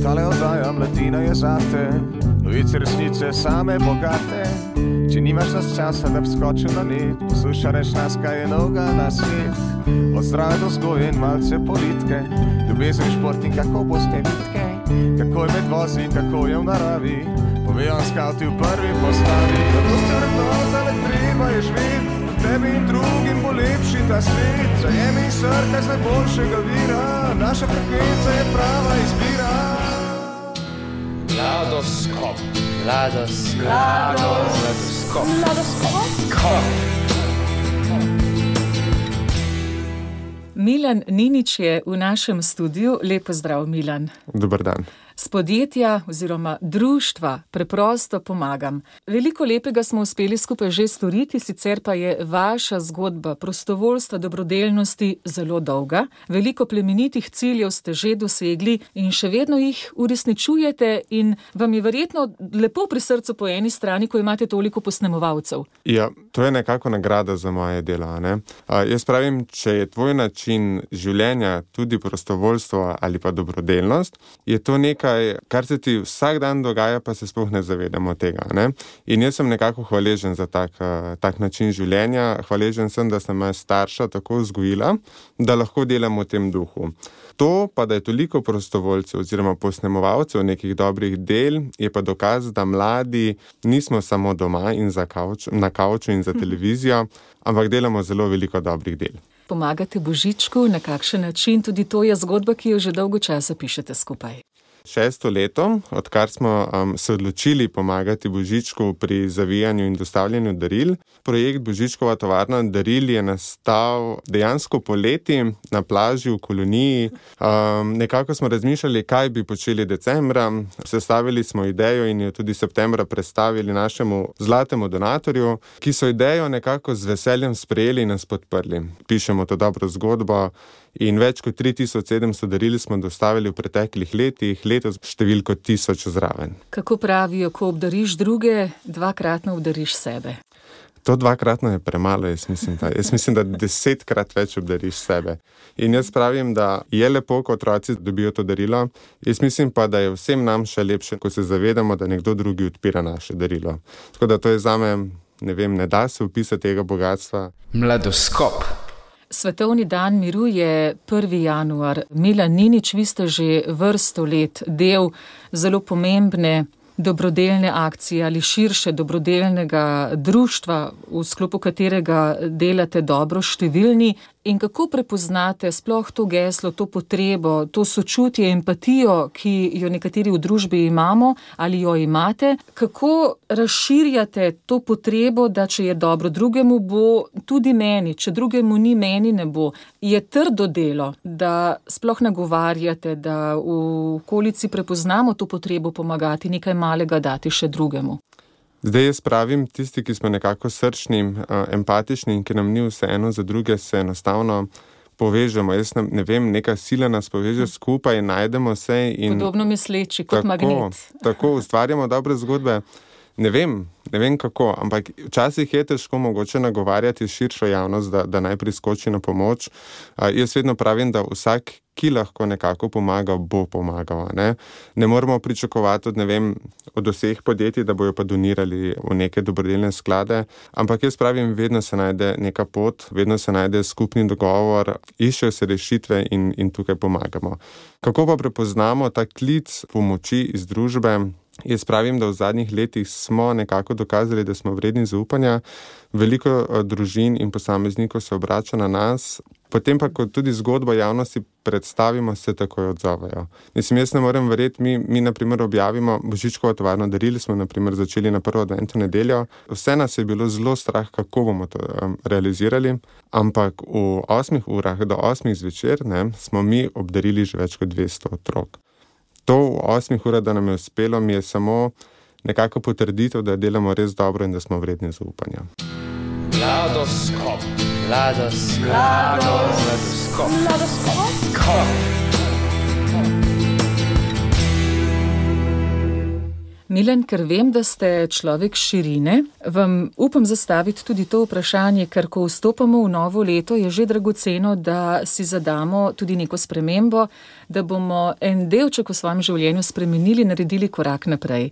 Tale oddaja Mladina je zate, novice resnice same bogate. Če nimaš nas časa, da bi skočil na net, poslušaj nas, kaj je novega na svet. Od zdrave do vzgoje in malce politike, ljubezen, šport in kako boste vitke. Kako je med vozi, kako je v naravi, povejo skavti v prvi postavi. Zato ste vrednota, ne treba je živeti, tebi in drugim bo lepši ta svet. Zajemi srka z najboljšega vira, naša frekvenca je prava izbira. Ladoskop. Milan Ninić je v našem studiu. Lep pozdrav, Milan. Dober dan. S podjetja oziroma društva Preprosto pomagam. Veliko lepega smo uspeli skupaj že storiti, sicer pa je vaša zgodba prostovoljstva, dobrodelnosti zelo dolga. Veliko plemenitih ciljev ste že dosegli in še vedno jih uresničujete in vam je verjetno lepo pri srcu po eni strani, ko imate toliko posnemovalcev. Ja, to je nekako nagrada za moje delo, ne? Jaz pravim, če je tvoj način življenja tudi prostovoljstvo ali pa dobrodelnost, je to nekaj, kar se ti vsak dan dogaja, pa se sploh ne zavedamo tega, ne? In jaz sem nekako hvaležen za tak način življenja. Hvaležen sem, da sem moja starša tako vzgojila, da lahko delam v tem duhu. To pa, da je toliko prostovoljcev oziroma posnemovalcev nekih dobrih del, je pa dokaz, da mladi nismo samo doma in na kavču in za televizijo, ampak delamo zelo veliko dobrih del. Pomagate Božičku, na kakšen način? Tudi to je zgodba, ki jo že dolgo časa pišete skupaj. 6. leto, odkar smo se odločili pomagati Božičku pri zavijanju in dostavljanju daril. Projekt Božičkova tovarna daril je nastal dejansko poleti na plaži v koloniji. Nekako smo razmišljali, kaj bi počeli decembra. Sestavili smo idejo in jo tudi septembra predstavili našemu zlatemu donatorju, ki so idejo nekako z veseljem sprejeli in nas podprli. Pišemo to dobro zgodbo. In več kot 3700 daril smo dostavili v preteklih letih, letos številko 1000 zraven. Kako pravijo, ko obdariš druge, dvakratno obdariš sebe? To dvakratno je premalo, jaz mislim, da 10-krat več obdariš sebe. In jaz pravim, da je lepo, ko otroci dobijo to darilo. Jaz mislim pa, da je vsem nam še lepše, ko se zavedamo, da nekdo drugi odpira naše darilo. Tako da to je zame, ne da se opisati tega bogatstva. Mladoskop. Svetovni dan miru je 1. januar. Milan Ninić, vi ste že vrsto let del zelo pomembne dobrodelne akcije ali širše dobrodelnega društva, v sklopu katerega delate dobro številni. In kako prepoznate sploh to geslo, to potrebo, to sočutje, empatijo, ki jo nekateri v družbi imamo ali jo imate? Kako razširjate to potrebo, da če je dobro drugemu, bo tudi meni, če drugemu ni, meni ne bo? Je trdo delo, da sploh nagovarjate, da v okolici prepoznamo to potrebo pomagati, nekaj malega dati še drugemu? Zdaj jaz pravim, tisti, ki smo nekako srčni, empatični in ki nam ni vseeno za druge, se enostavno povežemo. Jaz ne vem, neka sila nas poveže skupaj, najdemo se in... Podobno misleči, kot magnet. Tako, ustvarjamo dobre zgodbe. Ne vem kako, ampak včasih je težko mogoče nagovarjati širšo javnost, da naj priskoči na pomoč. Jaz vedno pravim, da vsak, ki lahko nekako pomaga, bo pomagal. Ne moramo pričakovati od vseh podjetij, da bojo pa donirali v neke dobrodelne sklade, ampak jaz pravim, vedno se najde neka pot, vedno se najde skupni dogovor, iščejo se rešitve in tukaj pomagamo. Kako pa prepoznamo ta klic pomoči iz družbe? Jaz pravim, da v zadnjih letih smo nekako dokazali, da smo vredni zaupanja. Veliko družin in posameznikov se obrača na nas, potem pa, ko tudi zgodbo javnosti predstavimo, se takoj odzovejo. Jaz ne morem verjeti, mi na primer objavimo Božičkovo tovarno daril, smo na primer začeli na prvo adventno nedeljo. Vse nas je bilo zelo strah, kako bomo to realizirali, ampak v 8 urah do 8 zvečer smo mi obdarili že več kot 200 otrok. To v 8 urah, da nam je uspelo, mi je samo nekako potrditev, da delamo res dobro in da smo vredni zaupanja. Mladoskop. Milan, ker vem, da ste človek širine, vam upam zastaviti tudi to vprašanje, ker ko vstopamo v novo leto, je že dragoceno, da si zadamo tudi neko spremembo, da bomo en delček v svojem življenju spremenili, naredili korak naprej.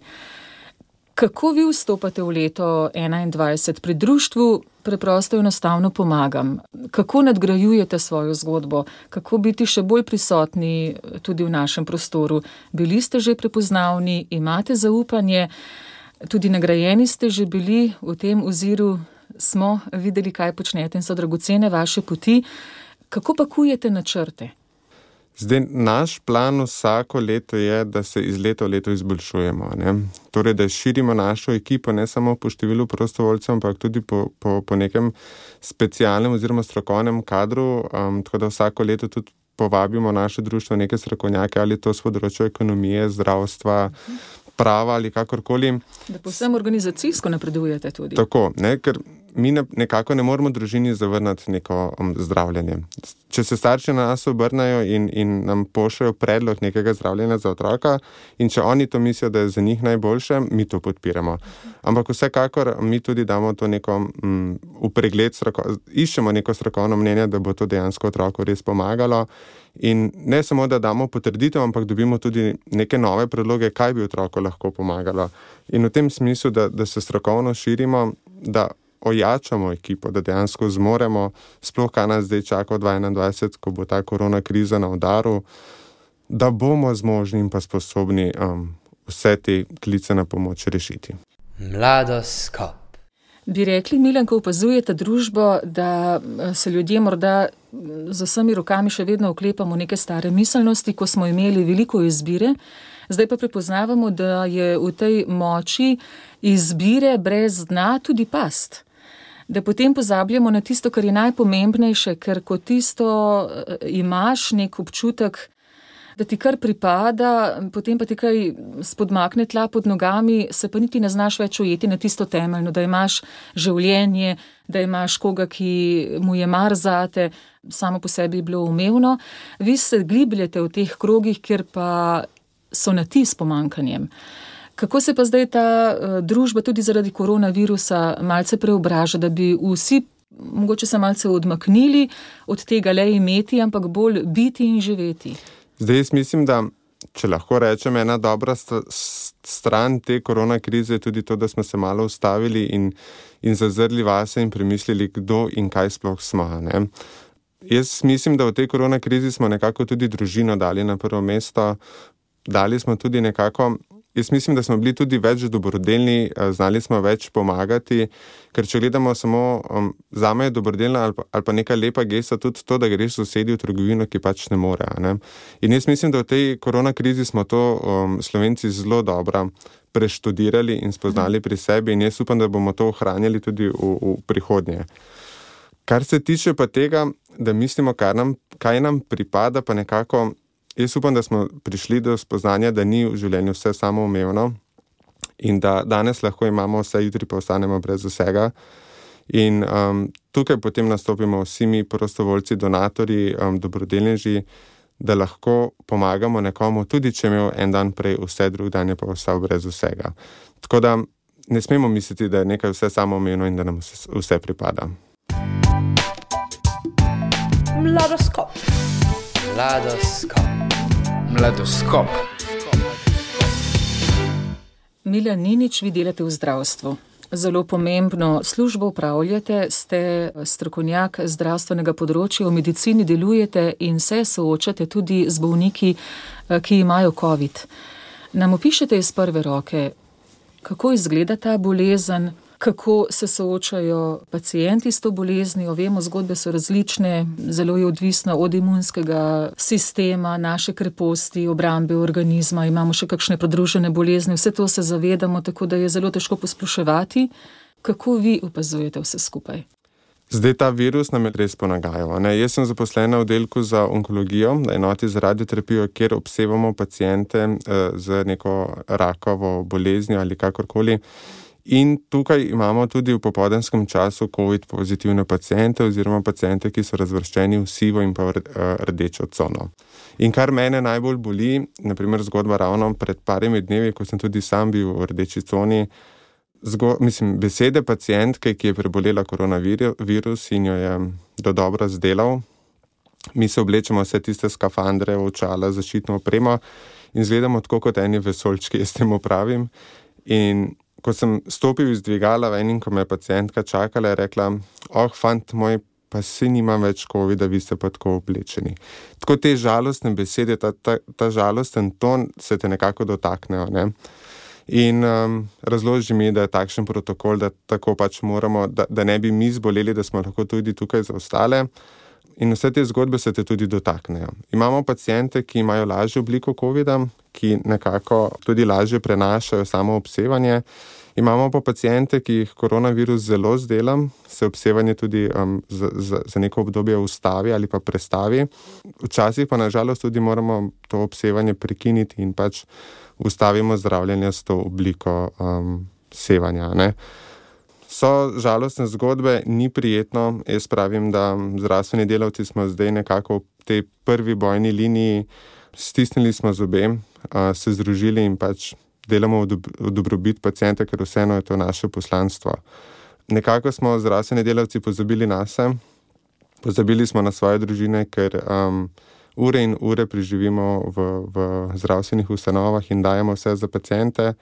Kako vi vstopate v leto 2021? Pri društvu preprosto enostavno pomagam. Kako nadgrajujete svojo zgodbo? Kako biti še bolj prisotni tudi v našem prostoru? Bili ste že prepoznavni, imate zaupanje, tudi nagrajeni ste že bili v tem oziru, smo videli, kaj počnete in so dragocene vaše poti. Kako pakujete načrte? Zdaj, naš plan vsako leto je, da se iz leta v leto izboljšujemo. Ne? Torej, da širimo našo ekipo ne samo po številu prostovoljcev, ampak tudi po nekem specialnem oziroma strokovnem kadru, tako da vsako leto tudi povabimo naše društvo neke strokovnjake, ali to s področja ekonomije, zdravstva, prava ali kakorkoli. Da povsem organizacijsko napredujete tudi. Tako, ne, ker mi nekako ne moremo družini zavrniti neko zdravljenje. Če se starši na nas obrnajo in nam pošljajo predlog nekega zdravljenja za otroka in če oni to mislijo, da je za njih najboljše, mi to podpiramo. Ampak vsekakor mi tudi damo to neko v pregled, iščemo neko strokovno mnenje, da bo to dejansko otroku res pomagalo. In ne samo, da damo potrditev, ampak dobimo tudi neke nove predloge, kaj bi otroku lahko pomagalo. In v tem smislu, da se strokovno širimo, da ojačamo ekipo, da dejansko zmoremo, sploh kaj nas zdaj čaka v 2021, ko bo ta korona kriza na udaru, da bomo zmožni in pa sposobni vse te klice na pomoč rešiti. Mladoskop. Bi rekli, Milan, ko opazujete družbo, da se ljudje morda z vsemi rokami še vedno oklepamo neke stare miselnosti, ko smo imeli veliko izbire, zdaj pa prepoznavamo, da je v tej moči izbire brez dna tudi past. Da potem pozabljamo na tisto, kar je najpomembnejše, ker ko tisto imaš nek občutek, da ti kar pripada, potem pa ti kaj spodmakne tla pod nogami, se pa niti ne znaš več ujeti na tisto temeljno, da imaš življenje, da imaš koga, ki mu je mar zate, samo po sebi je bilo umevno. Vi se glibljete v teh krogih, kjer pa so na ti s pomankanjem. Kako se pa zdaj ta družba tudi zaradi koronavirusa malce preobraža, da bi vsi mogoče se malce odmaknili od tega le imeti, ampak bolj biti in živeti? Zdaj, jaz mislim, da če lahko rečem, ena dobra stran te korona krize je tudi to, da smo se malo ustavili in zazrli vase in premislili, kdo in kaj sploh smo. Ne? Jaz mislim, da v tej korona krizi smo nekako tudi družino dali na prvo mesto, dali smo tudi nekako, jaz mislim, da smo bili tudi več dobrodelni, znali smo več pomagati, ker če gledamo samo, zame je dobrodelna ali pa neka lepa gesta tudi to, da greš sosedi v trgovino, ki pač ne more. Ne? In jaz mislim, da v tej korona krizi smo to Slovenci zelo dobro preštudirali in spoznali pri sebi in jaz upam, da bomo to ohranjali tudi v prihodnje. Kar se tiče pa tega, da mislimo, kaj nam pripada, pa nekako jaz upam, da smo prišli do spoznanja, da ni v življenju vse samoumevno in da danes lahko imamo vse, jutri pa ostanemo brez vsega. In tukaj potem nastopimo vsi mi prostovoljci, donatorji, dobrodelneži, da lahko pomagamo nekomu, tudi če je imel en dan prej vse, drug dan je pa ostal brez vsega. Tako da ne smemo misliti, da je nekaj vse samoumevno in da nam vse pripada. Mladoskop. Mladoskop. Milan Ninič, vi delate v zdravstvu. Zelo pomembno službo upravljate, ste strokovnjak zdravstvenega področja, v medicini delujete in se soočate tudi z bolniki, ki imajo COVID. Nam opišete iz prve roke, kako izgleda ta bolezen, kako se soočajo pacienti s to boleznijo. Vemo, zgodbe so različne, zelo je odvisno od imunskega sistema, naše kreposti, obrambe organizma, imamo še kakšne pridružene bolezni, vse to se zavedamo, tako da je zelo težko posploševati. Kako vi opazujete vse skupaj? Zdaj ta virus nam je res ponagajal. Jaz sem zaposlena v oddelku za onkologijo, na enoti za radioterapijo, kjer obsevamo paciente z neko rakovo boleznijo ali kakorkoli. In tukaj imamo tudi v popoldanskem času COVID pozitivne paciente oziroma paciente, ki so razvrščeni v sivo in pa v rdečo cono. In kar mene najbolj boli, naprimer zgodba ravno pred parimi dnevi, ko sem tudi sam bil v rdeči coni, besede pacientke, ki je prebolela koronavirus in jo je dodobra zdelal. Mi se oblečemo vse tiste skafandre, očala, zaščitno opremo in izgledamo tako kot eni vesoljčki, jaz temu pravim. In ko sem stopil iz dvigala ven in ko me je pacientka čakala, je rekla, fant moj, pa si nimam več covida, vi ste pa tako oblečeni. Tako te žalostne besede, ta žalosten ton se te nekako dotaknejo, ne? In razloži mi, da je takšen protokol, da tako pač moramo, da ne bi mi zboleli, da smo lahko tudi tukaj za ostale. In vse te zgodbe se te tudi dotaknejo. Imamo paciente, ki imajo lažjo obliko covida, ki nekako tudi lažje prenašajo samo obsevanje. Imamo pa paciente, ki jih koronavirus zelo zdela, se obsevanje tudi za neko obdobje ustavi ali pa prestavi. Včasih pa nažalost tudi moramo to obsevanje prekiniti in pač ustavimo zdravljenje s to obliko sevanja, ne. So žalostne zgodbe, ni prijetno. Jaz pravim, da zdravstveni delavci smo zdaj nekako v tej prvi bojni liniji, stisnili smo zobe, se združili in pač delamo v dobrobit pacienta, ker vseeno je to naše poslanstvo. Nekako smo zdravstveni delavci pozabili nase, pozabili smo na svoje družine, ker ure in ure preživimo v zdravstvenih ustanovah in dajemo vse za paciente.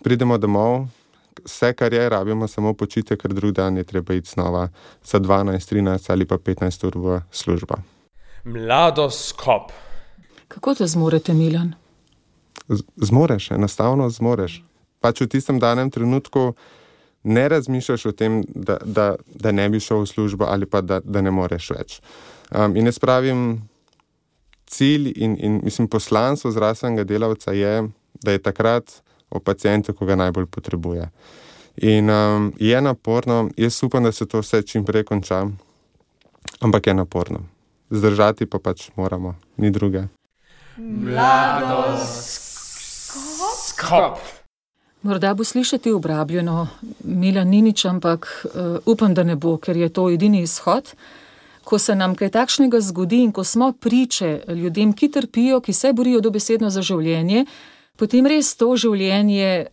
Pridemo domov, vse, kar je, rabimo samo počitek, ker drug dan je treba iti znova za 12, 13 ali pa 15 ur v službo. Mladoskop. Kako te zmorete, Milan? Zmoreš, enostavno zmoreš. Pač v tistem danem trenutku ne razmišljaš o tem, da ne bi šel v službo ali pa da ne moreš več. In jaz pravim, cilj in poslanstvo zdravstvenega delavca je, da je takrat o pacientu, ko ga najbolj potrebuje. In je naporno, jaz upam, da se to vse čim prej konča, ampak je naporno. Zdržati pa pač moramo, ni druge. Mladoskop. Morda bo slišati obrabljeno Milan Ninič, ampak upam, da ne bo, ker je to edini izhod. Ko se nam kaj takšnega zgodi in ko smo priče ljudem, ki trpijo, ki se borijo dobesedno za življenje, potem res to življenje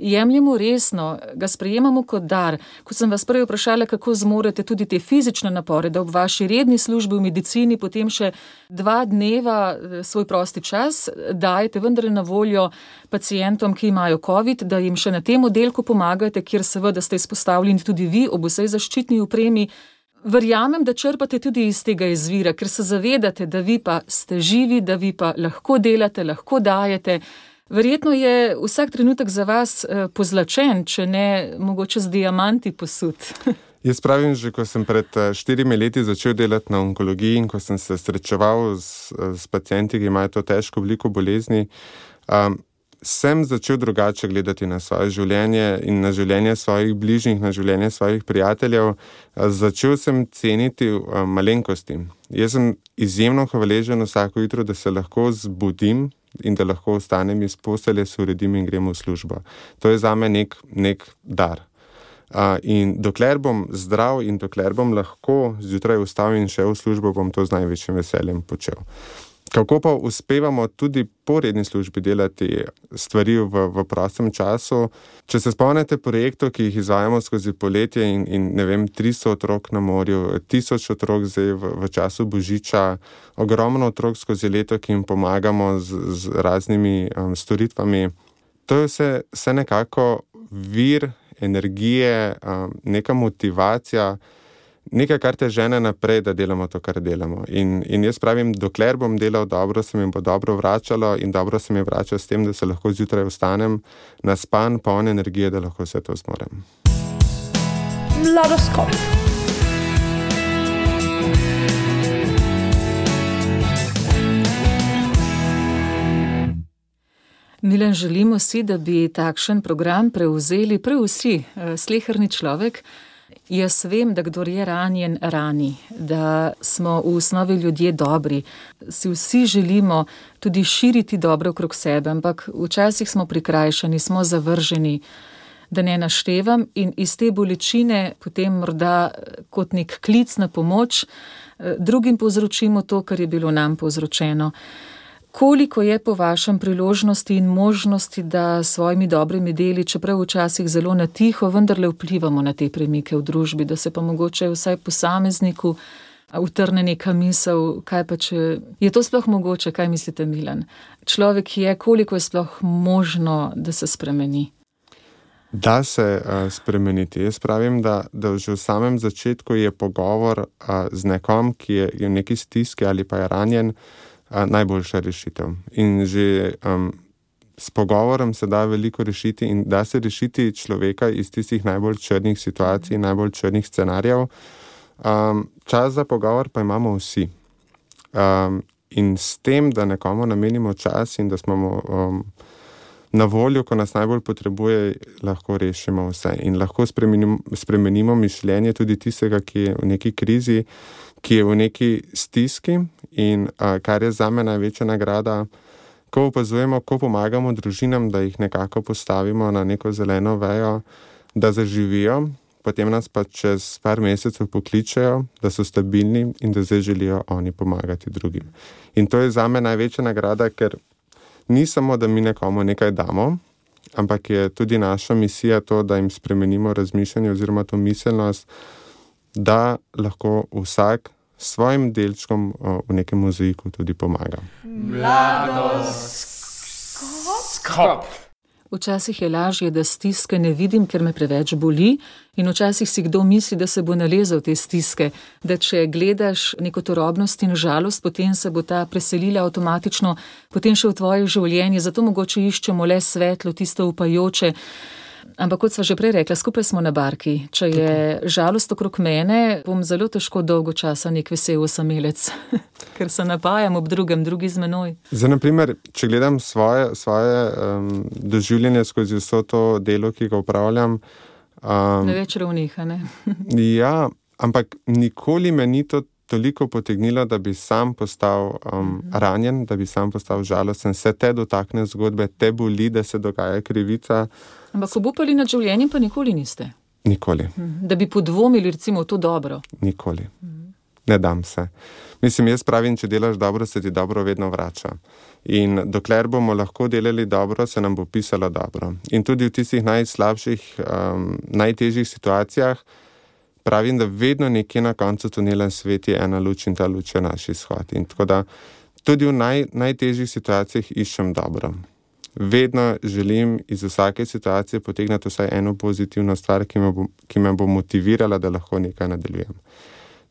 jemljemo resno, ga sprejemamo kot dar. Ko sem vas prej vprašala, kako zmorete tudi te fizične napore, da ob vaši redni službi v medicini potem še 2 dneva svoj prosti čas dajete vendar na voljo pacientom, ki imajo COVID, da jim še na tem oddelku pomagate, kjer seveda ste izpostavljeni tudi vi ob vsej zaščitni opremi. Verjamem, da črpate tudi iz tega izvira, ker se zavedate, da vi pa ste živi, da vi pa lahko delate, lahko dajete. Verjetno je vsak trenutek za vas pozlačen, če ne mogoče z diamanti posut. Jaz pravim, že ko sem pred 4 leti začel delati na onkologiji in ko sem se srečeval s pacienti, ki imajo to težko obliko bolezni, sem začel drugače gledati na svoje življenje in na življenje svojih bližnjih, na življenje svojih prijateljev. Začel sem ceniti malenkosti. Jaz sem izjemno hvaležen vsako jutro, da se lahko zbudim in da lahko ostanem iz postelje, se uredim in grem v službo. To je zame nek dar. In dokler bom zdrav in dokler bom lahko zjutraj vstal in šel v službo, bom to z največjim veseljem počel. Kako pa uspevamo tudi po redni službi delati stvari v prostem času? Če se spomnite projektov, ki jih izvajamo skozi poletje in ne vem, 300 otrok na morju, 1000 otrok zdaj v času Božiča, ogromno otrok skozi leto, ki jim pomagamo z raznimi storitvami. To je vse nekako vir energije, neka motivacija, nekaj, kar te žene naprej, da delamo to, kar delamo. In jaz pravim, dokler bom delal dobro, se mi bo dobro vračalo in dobro se mi vrača s tem, da se lahko zjutraj vstanem naspan, poln energije, da lahko vse to zmorem. Mladoskop. Milan, želimo si, da bi takšen program prevzeli prav vsi, sleherni človek. Jaz vem, da kdor je ranjen, rani, da smo v osnovi ljudje dobri. Si vsi želimo tudi širiti dobro okrog sebe, ampak včasih smo prikrajšani, smo zavrženi. da ne naštevam, in iz te bolečine potem morda kot nek klic na pomoč drugim povzročimo to, kar je bilo nam povzročeno. Koliko je po vašem priložnosti in možnosti, da s svojimi dobrimi deli, čeprav včasih zelo na tiho, vendarle vplivamo na te premike v družbi, da se pa mogoče vsaj posamezniku utrne neka misel, kaj pa če je to sploh mogoče, kaj mislite, Milan? Človek je, koliko je sploh možno, da se spremeni? Da se spremeniti. Jaz pravim, da že v samem začetku je pogovor z nekom, ki je v neki stiski ali pa je ranjen, najboljša rešitev. In že s pogovorom se da veliko rešiti in da se rešiti človeka iz tistih najbolj črnih situacij, najbolj črnih scenarijev. Čas za pogovor pa imamo vsi. In s tem, da nekomu namenimo čas in da smo na voljo, ko nas najbolj potrebuje, lahko rešimo vse. In lahko spremenimo mišljenje tudi tistega, ki je v neki krizi, ki je v neki stiski. In kar je zame največja nagrada, ko opazujemo, ko pomagamo družinam, da jih nekako postavimo na neko zeleno vejo, da zaživijo, potem nas pa čez par mesecev pokličejo, da so stabilni in da zdaj želijo oni pomagati drugim. In to je zame največja nagrada, ker ni samo, da mi nekomu nekaj damo, ampak je tudi naša misija to, da jim spremenimo razmišljanje oziroma to miselnost, da lahko vsak s svojim delčkom v nekem mozaiku tudi pomaga. Mladoskop. Včasih je lažje, da stiske ne vidim, ker me preveč boli, in včasih si kdo misli, da se bo nalezel te stiske, da če gledaš neko turobnost in žalost, potem se bo ta preselila avtomatično, potem še v tvoje življenje, zato mogoče iščemo le svetlo, tisto upajoče. Ampak kot sva že prej rekla, skupaj smo na barki. Če je žalost okrog mene, bom zelo težko dolgo časa nek vesel osamelec, ker se napajam ob drugem, drugi z menoj. Zdaj, na primer, če gledam svoje doživljanje skozi vso to delo, ki ga upravljam. Na več ravnih, a ne? Ja, ampak nikoli me ni to toliko potegnilo, da bi sam postal ranjen, da bi sam postal žalosten. Se te dotakne zgodbe, te boli, da se dogaja krivica. Ampak obupali nad življenjem pa nikoli niste? Nikoli. Da bi podvomili recimo v to dobro? Nikoli. Ne dam se. Mislim, jaz pravim, če delaš dobro, se ti dobro vedno vrača. In dokler bomo lahko delali dobro, se nam bo pisalo dobro. In tudi v tistih najslabših, najtežjih situacijah pravim, da vedno nekje na koncu tunela sveti ena luč in ta luč je naš izhod. In tako da tudi v najtežjih situacijah iščem dobro. Vedno želim iz vsake situacije potegniti vsaj eno pozitivno stvar, ki me bo motivirala, da lahko nekaj nadaljujem.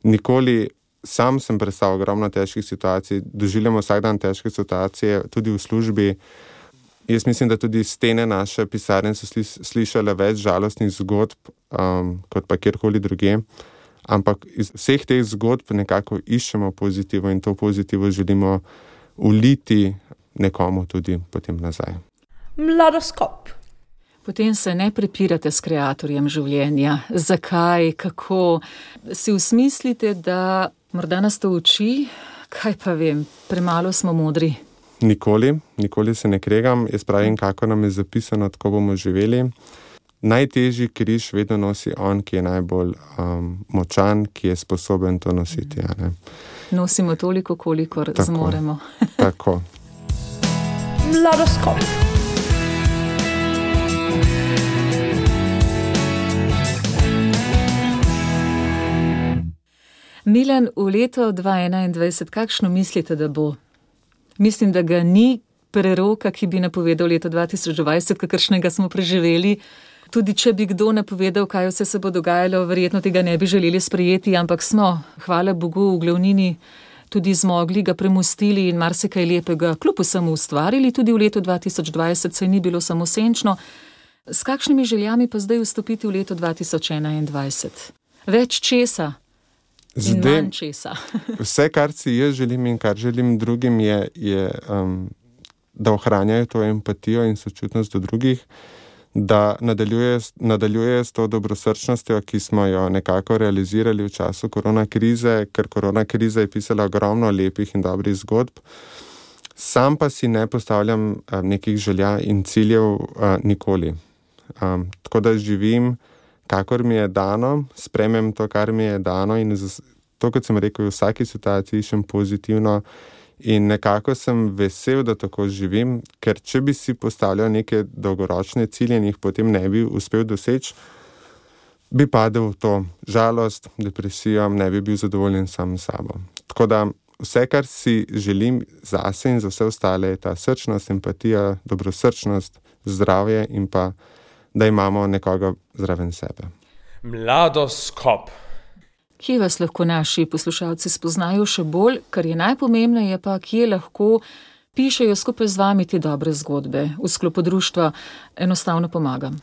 Nikoli, sam sem prestal ogromno težkih situacij, doživljamo vsak dan težke situacije, tudi v službi. Jaz mislim, da tudi stene naše pisarne so slišale več žalostnih zgodb, kot pa kjerkoli druge. Ampak iz vseh teh zgodb nekako iščemo pozitivo in to pozitivo želimo uliti nekomu tudi potem nazaj. Mladoskop. Potem se ne prepirate s kreatorjem življenja. Zakaj, kako? Si usmislite, da morda nas to uči? Kaj pa vem, premalo smo modri. Nikoli se ne kregam. Jaz pravim, kako nam je zapisano, tako bomo živeli. Najtežji križ vedno nosi on, ki je najbolj močan, ki je sposoben to nositi. Ne? Nosimo toliko, kolikor zmoremo. Tako. Mladoskop. Milan, v leto 2021, kakšno mislite, da bo? Mislim, da ga ni preroka, ki bi napovedal leto 2020, kakršnega smo preživeli. Tudi če bi kdo napovedal, kaj vse se bo dogajalo, verjetno tega ne bi želeli sprejeti, ampak smo, hvala Bogu, v glavnini tudi zmogli, ga premostili in marsikaj lepega kljub vsemu ustvarili. Tudi v letu 2020 se ni bilo samo senčno. S kakšnimi željami pa zdaj vstopiti v leto 2021? Več česa in manj česa. Vse, kar si jaz želim in kar želim drugim, je da ohranjajo to empatijo in sočutnost do drugih, da nadaljuje s to dobrosrčnostjo, ki smo jo nekako realizirali v času koronakrize, ker koronakriza je pisala ogromno lepih in dobrih zgodb. Sam pa si ne postavljam nekih želja in ciljev nikoli. tako da živim, kakor mi je dano, sprejmem to, kar mi je dano in to, kot sem rekel, v vsaki situaciji iščem pozitivno in nekako sem vesel, da tako živim, ker če bi si postavljal neke dolgoročne cilje in jih potem ne bi uspel doseči, bi padel v to žalost, depresijo, ne bi bil zadovoljen sam s sabo. Tako da vse, kar si želim zase in za vse ostale, je ta srčnost, empatija, dobrosrčnost, zdravje in pa, da imamo nekoga zraven sebe. Mladoskop. Kje vas lahko naši poslušalci spoznajo še bolj, kar je najpomembneje pa, kje lahko pišejo skupaj z vami te dobre zgodbe v sklopu društva Enostavno pomagam?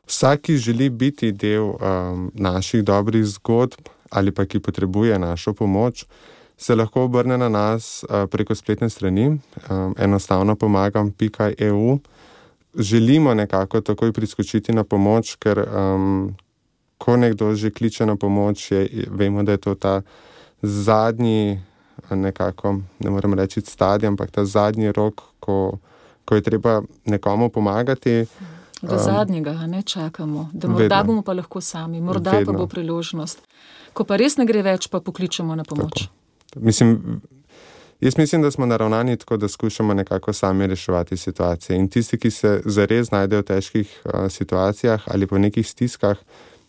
Vsak, ki želi biti del naših dobrih zgodb ali pa ki potrebuje našo pomoč, se lahko obrne na nas preko spletne strani enostavnopomagam.eu. Želimo nekako takoj priskočiti na pomoč, ker ko nekdo že kliče na pomoč, vemo, da je to ta zadnji, nekako, ne morem reči stadij, ampak ta zadnji rok, ko je treba nekomu pomagati. Do zadnjega ne čakamo, da morda bomo pa lahko sami, morda pa bo priložnost. Ko pa res ne gre več, pa pokličemo na pomoč. Jaz mislim, da smo naravnani tako, da skušamo nekako sami reševati situacije. In tisti, ki se zares znajdejo v težkih situacijah ali po nekih stiskah,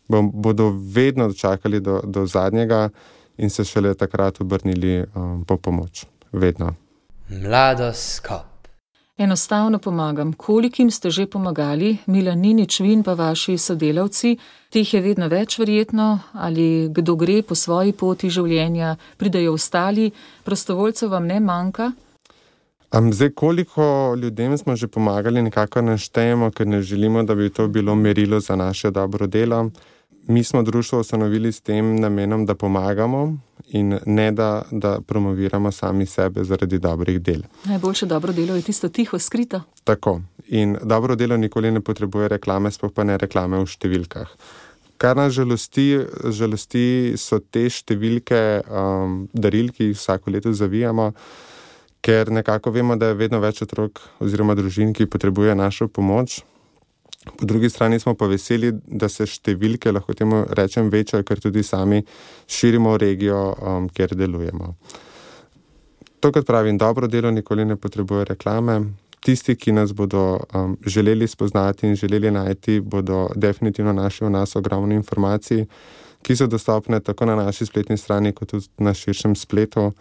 bodo vedno čakali do zadnjega in se šele takrat obrnili po pomoč. Vedno. Mladoskop. Enostavno pomagam. Kolikim ste že pomagali, Milan Ninič, vi in pa vaši sodelavci? Teh je vedno več verjetno, ali kdo gre po svoji poti življenja, pridejo ostali, prostovoljcev vam ne manjka? Zdaj, koliko ljudem smo že pomagali, nekako naštejemo, ker ne želimo, da bi to bilo merilo za naše dobro delo. Mi smo društvo ustanovili s tem namenom, da pomagamo in ne da promoviramo sami sebe zaradi dobrih del. Najboljše dobro delo je tisto tiho, skrito. Tako. In dobro delo nikoli ne potrebuje reklame, sploh pa ne reklame v številkah. Kar nas žalosti so te številke daril, ki jih vsako leto zavijamo, ker nekako vemo, da je vedno več otrok oziroma družin, ki potrebuje našo pomoč. Po drugi strani smo pa veseli, da se številke, lahko temu rečem, večajo, ker tudi sami širimo regijo, kjer delujemo. To, kot pravim, dobro delo nikoli ne potrebuje reklame. Tisti, ki nas bodo želeli spoznati in želeli najti, bodo definitivno našli v nas ogromno informacij, ki so dostopne tako na naši spletni strani, kot tudi na širšem spletu.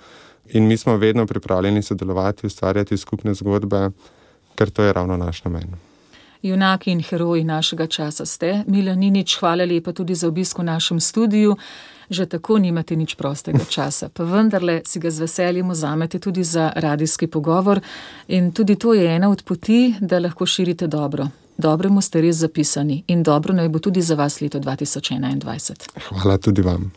In mi smo vedno pripravljeni sodelovati, ustvarjati skupne zgodbe, ker to je ravno naš namen. Junaki in heroji našega časa ste. Milan Ninič, hvala lepa tudi za obisk v našem studiu. Že tako nimate nič prostega časa, pa vendarle si ga z veseljem vzamete tudi za radijski pogovor in tudi to je ena od poti, da lahko širite dobro. Dobremu ste res zapisani in dobro naj bo tudi za vas leto 2021. Hvala tudi vam.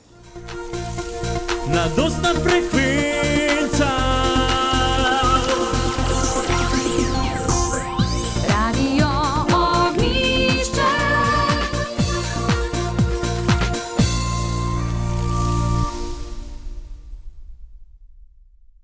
Na dostna frekvenca